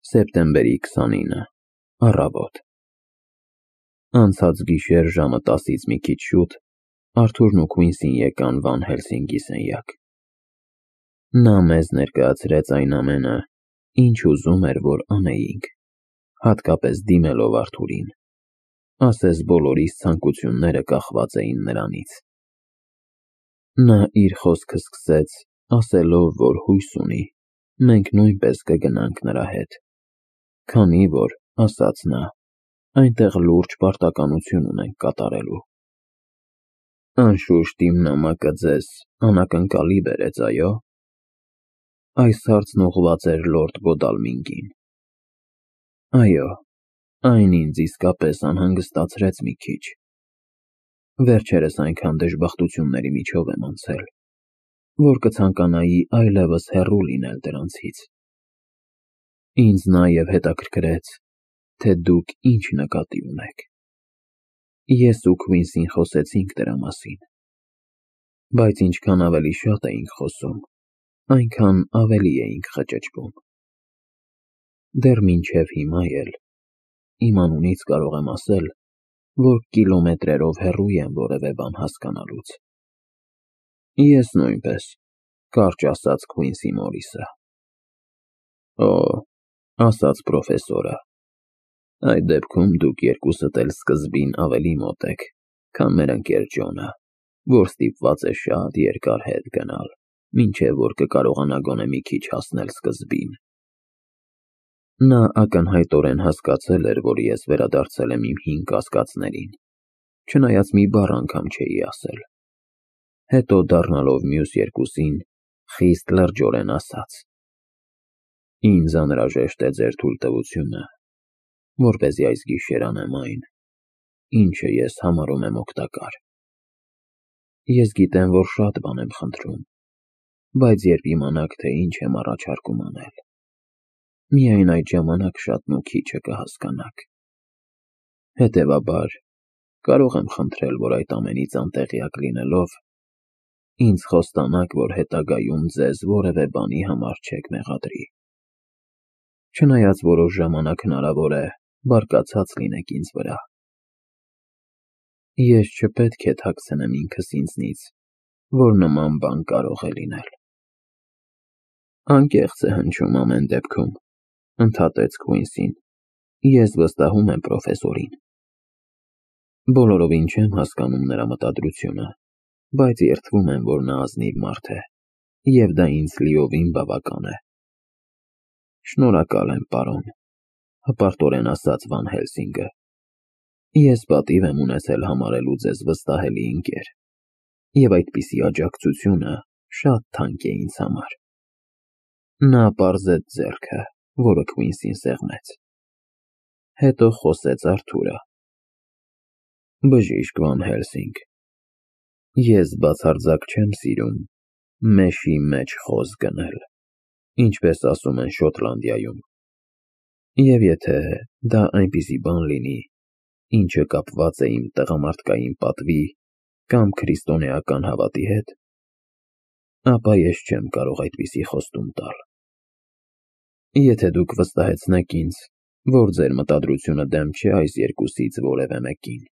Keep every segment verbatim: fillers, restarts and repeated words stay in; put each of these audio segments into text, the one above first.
Սեպտեմբերի քսանինը, առավոտ։ Անցած գիշեր ժամը տասից մի քիչ շուտ Արթուրն ու Քվինսին եկան Վան Հելսինգի սենյակ։ Նա մեզ ներկայացրեց այն ամենը, ինչ ուզում էր, որ անեինք, հատկապես դիմելով Արթուրին, ասես բոլորիս ցանկությունները կախված էին նրանից։ Նա իր խոսքը սկսեց, ասելով, որ հույս ունի, մենք նույնպես կգնանք նրա հետ, քանի որ, ասաց նա, այնտեղ լուրջ պարտականություն ունենք կատարելու։ Անշուշտ իմ նամակը ձեզ անակնկալի բերեց, այո՞։ Այս հարցն ուղղված էր լորդ Գոդալմինգին։ Այո, այն ինձ իսկապես անհանգստացրեց մի քիչ։ Վերջերս այնքան դժբախտությունների միջով եմ անցել, որ կցանկանայի այլևս հեռու լինել դրանցից։ Ինձ նաև հետաքրքրեց, թե դուք ինչ նկատի ունեք։ Ես ու Քվինսին խոսեցինք դրա մասին, բայց ինչքան ավելի շատ էինք խոսում, այնքան ավելի էինք խճճվում։ Դեռ մինչև հիմա էլ իմ անունից կարող եմ ասել, որ կիլոմետրերով հեռու եմ որևէ բան հասկանալուց։ Ես նույնպես, կարճ ասաց Քվինսի Մորիսը։ Օ, ասաց պրոֆեսորը, այդ դեպքում դուք երկուսդ էլ սկզբին ավելի մոտ եք, քան մեր ընկեր Ջոնը, որ ստիպված է շատ երկար հետ գնալ, մինչև որ կկարողանա գոնե մի քիչ հասնել սկզբին։ Նա ակնհայտորեն հասկացել էր, որ ես վերադարձել եմ իմ հին կասկածներին, չնայած մի բառ անգամ չէի ասել։ Հետո դառնալով մյուս երկուսին, խիստ լրջորեն ասաց. Ինձ անհրաժեշտ է ձեր թույլտվությունը, որպեսզի այս գիշեր անեմ այն, ինչը ես համարում եմ օգտակար։ Ես գիտեմ, որ շատ բան եմ խնդրում, բայց երբ իմանաք, թե ինչ եմ առաջարկում անել, միայն այդ ժամանակ շատն ու քիչը կհասկանաք։ Հետևաբար, կարող եմ խնդրել, որ այդ ամենից անտեղյակ լինելով, ինձ խոստանաք, որ հետագայում ձեզ որևէ բանի համար չեք մեղադրի։ Չնայած որոշ ժամանակ հնարավոր է բարկացած լինեք ինձ վրա։ Ես չպետք է թաքցնեմ ինքս ինձնից, որ նման բան կարող է լինել։ Անկեղծ է հնչում ամեն դեպքում, ընդհատեց Քվինսին, ես վստահում եմ պրոֆեսորին։ Բոլորովին չեմ հասկանում նրա մտադրությունը, բայց երդվում եմ, որ նա ազնիվ մարդ է, և դա ինձ լիովին բավական է։ Շնորհակալ եմ, պարոն, հպարտորեն ասաց Վան Հելսինգը։ Ես պատիվ եմ ունեցել համարելու ձեզ վստահելի ընկեր, և այդպիսի աջակցությունը շատ թանկ է ինձ համար։ Նա պարզեց ձեռքը, որը Քվինսին սեղմեց։ Հետո խոսեց Արթուրը. Բժիշկ Վան Հելսինգ, ես բացարձակ չեմ սիրում մեշի մեջ խոզ գնել, ինչպես ասում են Շոտլանդիայում, և եթե դա այնպիսի բան լինի, ինչը կապված է իմ տղամարդկային պատվի կամ քրիստոնեական հավատի հետ, ապա ես չեմ կարող այդպիսի խոստում տալ։ Եթե դուք վստահեցնեք ինձ, որ ձեր մտադրությունը դեմ չէ այս երկուսից որևէ մեկին,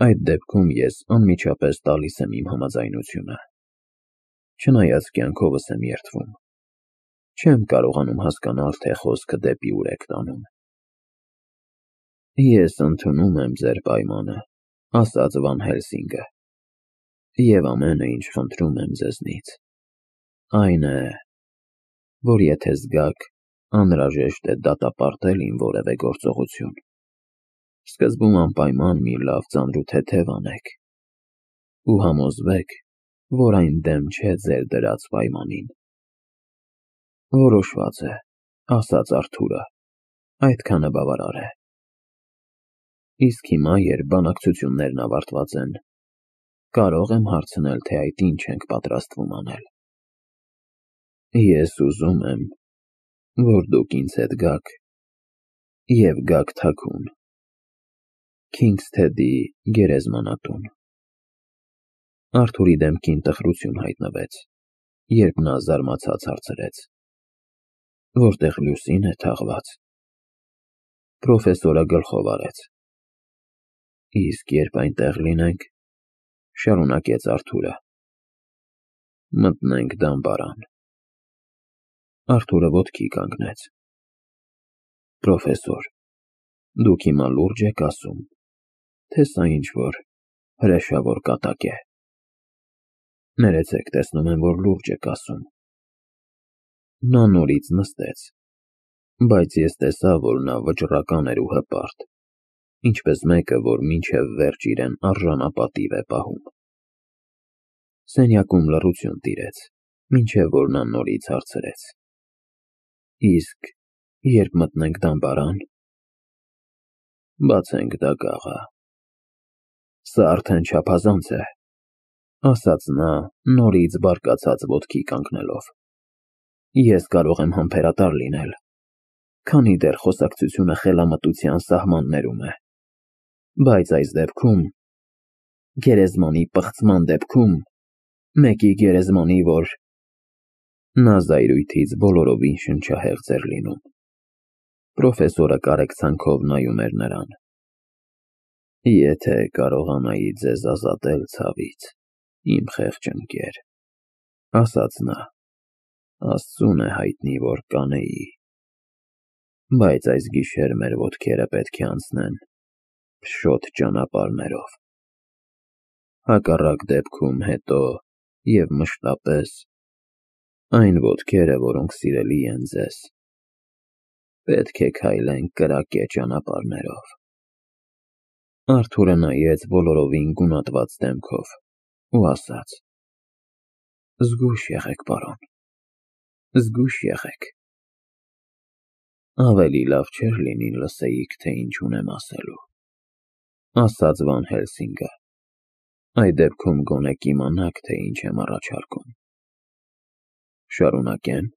այդ դեպքում ես անմիջապես տալիս եմ իմ համաձայնությունը, չնայած կյանքովս եմ երդվում։ Չեմ կարողանում հասկանալ, թե խոսքը դեպի ուր եք տանում։ Ես ընդունում եմ ձեր պայմանը, ասաց Վան Հելսինգը, և ամենը, ինչ խնդրում եմ ձեզնից, այն է, որ եթե զգաք, անհրաժեշտ է դատապարտել իմ որևէ գործողություն, սկզբում անպայման մի լավ ծանրութեթև անեք ու համոզվեք, որ այն դեմ չէ ձեր դրած պայմանին։ Որոշված է, ասաց Արթուրը, այդքանը բավարար է։ Իսկ հիմա, երբ բանակցություններն ավարտված են, կարող եմ հարցնել, թե այդ ինչ ենք պատրաստվում անել։ Ես ուզում եմ, որ դուք ինձ հետ գաք և գաք թաքուն, Քինգսթեդի գերեզմանատուն։ Արթուրի դեմքին տխրություն հայտնվեց, երբ նա զարմացած հարցրեց. որտեղ լուսին է թաղված։ Պրոֆեսորը գլխով արեց։ Իսկ երբ այնտեղ լինենք, շարունակեց Արթուրը, մտնենք դամբարան։ Արթուրը ոտքի կանգնեց։ Պրոֆեսոր, դուք հիմա լուրջ եք ասում, թե սա ինչ-որ հրեշավոր կատակ է։ Ներեցեք, տեսնում եմ, որ լուրջ եք ասում։ Նա նորից նստեց, բայց ես տեսա, որ նա վճռական էր ու հպարտ, ինչպես մեկը, որ մինչև վերջ իրեն արժանապատիվ է պահում։ Սենյակում լռություն տիրեց, մինչև որ նա նորից հարցրեց. Իսկ երբ մտնենք դամբարան, բացենք դագաղը։ Սա արդեն չափազանց է, ասաց նա, նորից բարկացած ոտքի կանգնելով։ Ես կարող եմ համբերատար լինել, քանի դեռ խոսակցությունը խելամտության սահմաններում է, բայց այս դեպքում, գերեզմանի պղծման դեպքում, մեկի գերեզմանի, որ… Նա զայրույթից բոլորովին շնչահեղձ էր լինում։ Պրոֆեսորը կարեկցանքով նայում էր նրան։ Եթե կարողանայի ձեզ ազատել ցավից, իմ խեղճ ընկեր, ասաց նա, Աստծուն է հայտնի, որ կանեի, բայց այս գիշեր մեր ոտքերը պետք է անցնեն փշոտ ճանապարհներով։ Հակառակ դեպքում հետո և մշտապես այն ոտքերը, որոնք սիրելի են ձեզ, պետք է քայլեն կրակե ճանապարհներով։ Արթուրը նայեց բոլորովին գունատված դեմքով ու ասաց. Զգույշ եղեք, պարոն, զգույշ եղեք։ Ավելի լավ չէր լինի լսեիք, թե ինչ ունեմ ասելու, ասաց Վան Հելսինգը։ Այդ դեպքում գոնե կիմանաք, թե ինչ եմ առաջարկում։ Շարունակեմ։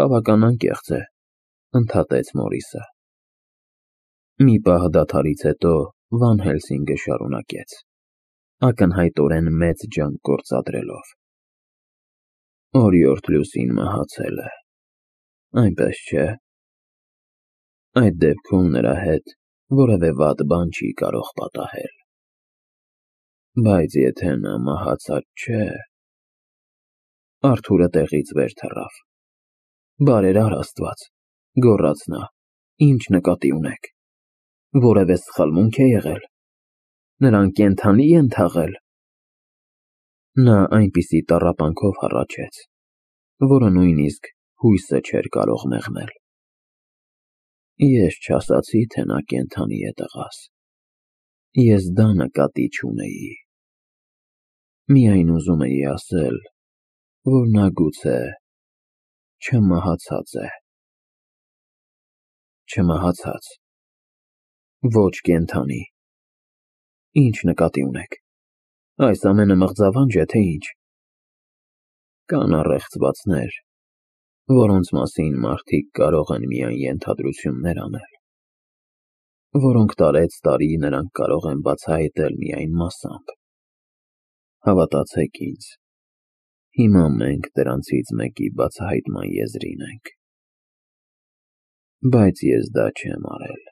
Բավական անկեղծ է, ընդհատեց Մորիսը։ Մի պահ դադարից հետո Վան Հելսինգը շարունակեց, ակնհայտորեն մեծ ջանք գործադրելով. Օրիորդ Լուսին մահացել է, այնպես չէ։ Այդ դեպքում նրա հետ որևէ վատ բան չի կարող պատահել։ Բայց եթե նա մահացած չէ… Արթուրը տեղից վեր թռավ։ Բարերար Աստված, գոռաց նա, ինչ նկատի ունեք։ Որևէ սխալմունք է եղել։ Նրան կենդանի են թաղել։ Նա այնպիսի տառապանքով հառաչեց, որը նույնիսկ հույսը չէր կարող մեղմել։ Ես չասացի, թե նա կենդանի է, տղաս, ես դա նկատի չունեի։ Միայն ուզում էի ասել, որ նա գուցե չմահացած է։ Չմահացած, ոչ կենդանի։ Ինչ նկատի ունեք։ Այս ամենը մղձավանջ է, թե ինչ։ Կան առեղծվածներ, որոնց մասին մարդիկ կարող են միայն ենթադրություններ անել, որոնք տարեցտարի նրանք կարող են բացահայտել միայն մասամբ։ Հավատացեք ինձ, հիմա մենք դրանցից մեկի բացահայտման եզրին ենք։ Բայց ես դա չեմ արել։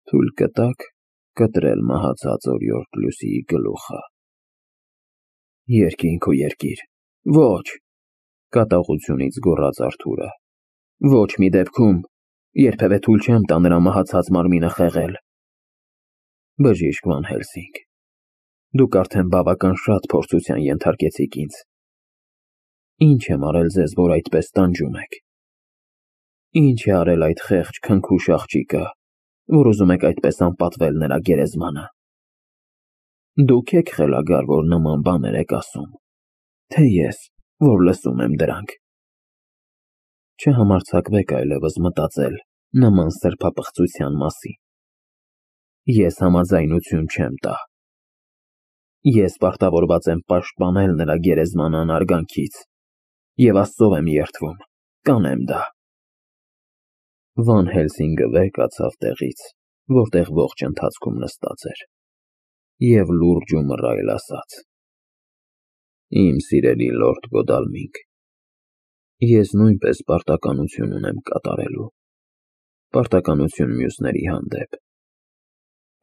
Թույլ կտա՞ք կտրել մահացած օրիորդ Լուսիի գլուխը։ Երկինք ու երկիր, ոչ, կատաղությունից գոռաց Արթուրը։ Ոչ մի դեպքում, երբևէ թույլ չեմ տա նրա մահացած մարմինը խեղել։ Բժիշկ Վան Հելսինգ, դուք արդեն բավական շատ փորձության ենթարկեցիք ինձ։ Ինչ եմ արել ձեզ, որ այդպես տանջում եք։ Ինչ է արել այդ խեղճ քնքուշ աղջիկը, որ ուզում եք այդպես անպատվել նրա գերեզմանը։ Դուք եք խելագար, որ նման բաներ եք ասում, թե ես, որ լսում եմ դրանք։ Չհամարձակվեք այլևս մտածել նման սրբապղծության մասին։ Ես համաձայնություն չեմ տա։ Ես պարտավորված եմ պաշտպանել նրա գերեզմանը անարգանքից, և Աստծով եմ երդվում, կանեմ դա։ Վան Հելսինգը վեր կացավ տեղից, որտեղ ողջ ընթացքում նստած էր, և լուրջ ու մռայլ ասաց. Իմ սիրելի լորդ Գոդալմինգ, Ես նույնպես պարտականություն ունեմ կատարելու, պարտականություն մյուսների հանդեպ,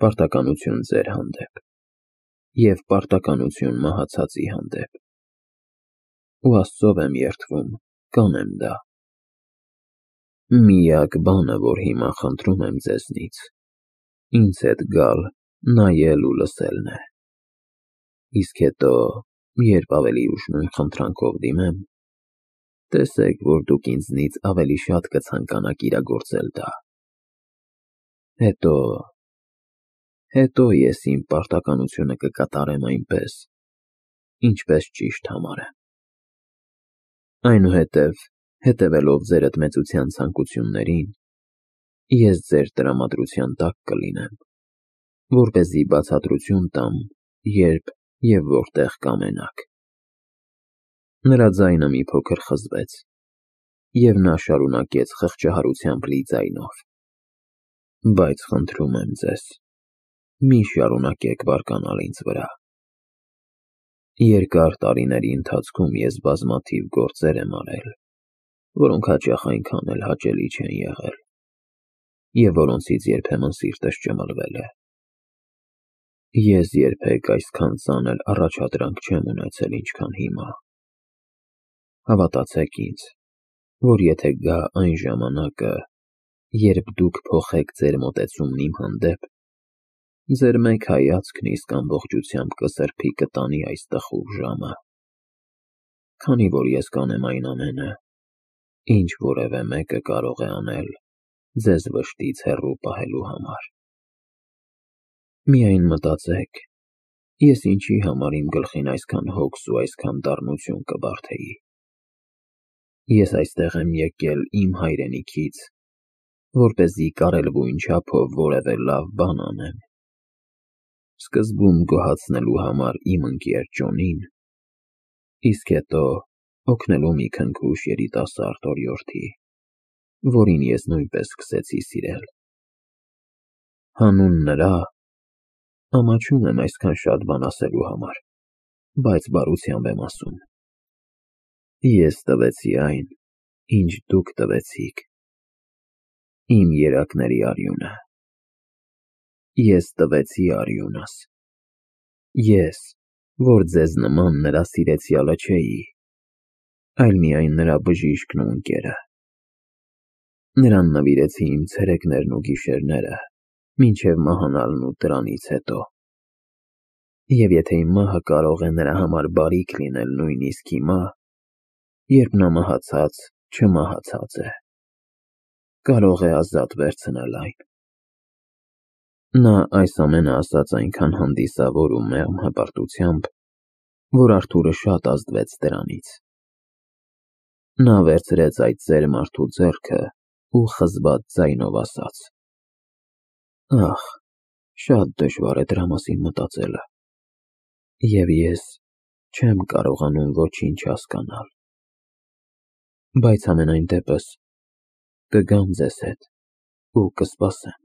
պարտականություն ձեր հանդեպ և պարտականություն մահացածի հանդեպ, ու Աստծով եմ երդվում, կանեմ դա։ Միակ բանը, որ հիմա խնդրում եմ ձեզնից, ինձ հետ գալ, նայել ու լսելն է, իսկ հետո, երբ ավելի ուշ նույն խնդրանքով դիմեմ, տեսեք, որ դուք ինձնից ավելի շատ կցանկանաք իրագործել դա։ Հետո, հետո ես իմ պարտականությունը կկատարեմ այնպես, ինչպես ճիշտ համարեմ։ Այնուհետև, հետևելով ձեր ընդմեծության ցանկություններին, ես ձեր տրամադրության տակ կլինեմ, որպեսզի բացատրություն տամ, երբ և որտեղ կամենաք։ Նրա ձայնը մի փոքր խզվեց, և նա շարունակեց խղճահարությամբ լի ձայնով. Բայց խնդրում եմ ձեզ, մի շարունակեք բարկանալ ինձ վրա։ Երկար տարիների ընթացքում ես բազմաթիվ գործեր եմ արել, որոնք հաճախ այնքան էլ հաճելի չեն եղել, և որոնցից երբեմն սիրտս ճմլվել է։ Ես երբեք այսքան ծանր առաջադրանք չեմ ունեցել, ինչքան հիմա։ Հավատացեք ինձ, որ եթե գա այն ժամանակը, երբ դուք փոխեք ձեր մոտեցումն իմ հանդեպ, ձեր մեկ հայացքն իսկ ամբողջությամբ կսրբի կտանի այս տխուր ժամը, քանի որ ես կանեմ այն ամենը, ինչ որևէ մեկը կարող է անել ձեզ վշտից հեռու պահելու համար։ Միայն մտածեք, ես ինչի համար իմ գլխին այսքան հոգս ու այսքան դառնություն կբարդեի։ Ես այստեղ եմ եկել իմ հայրենիքից, որպեսզի կարելվույն չափով որևէ լավ բան անեմ, սկզբում գոհացնելու համար իմ ընկեր Ջոնին, իսկ հետո օգնելու մի քնքուշ երիտասարդ օրիորդի, որին ես նույնպես սկսեցի սիրել։ Հանուն նրա, ամաչում եմ այսքան շատ բան ասելու համար, բայց բարությամբ եմ ասում։ Ես տվեցի այն, ինչ դուք տվեցիք, իմ երակների արյունը։ Ես տվեցի արյունս։ Ես, որ ձեզ նման նրա սիրեցյալը չէի, այլ միայն նրա բժիշկն ու ընկերը։ Նրան նվիրեցի իմ ցերեկներն ու գիշերները, մինչև մահանալն ու դրանից հետո։ Եվ եթե իմ մահը կարող է նրա համար բարիք լինել նույնիսկ հիմա, երբ նա մահացած չմահացած է, կարող է ազատ վերցնել այն։ Նա այս ամենը ասաց այնքան հանդիսավոր ու մեղմ հպարտությամբ, որ Արթուրը շատ ազդվեց դրանից։ Նա վերցրեց այդ ծեր մարդու ձեռքը ու խզված ձայնով ասաց. Ախ, շատ դժվար է դրա մասին մտածելը, և ես չեմ կարողանում ոչինչ հասկանալ։ Բայց համենայն դեպս, կգամ ձեզ հետ ու կսպասեմ։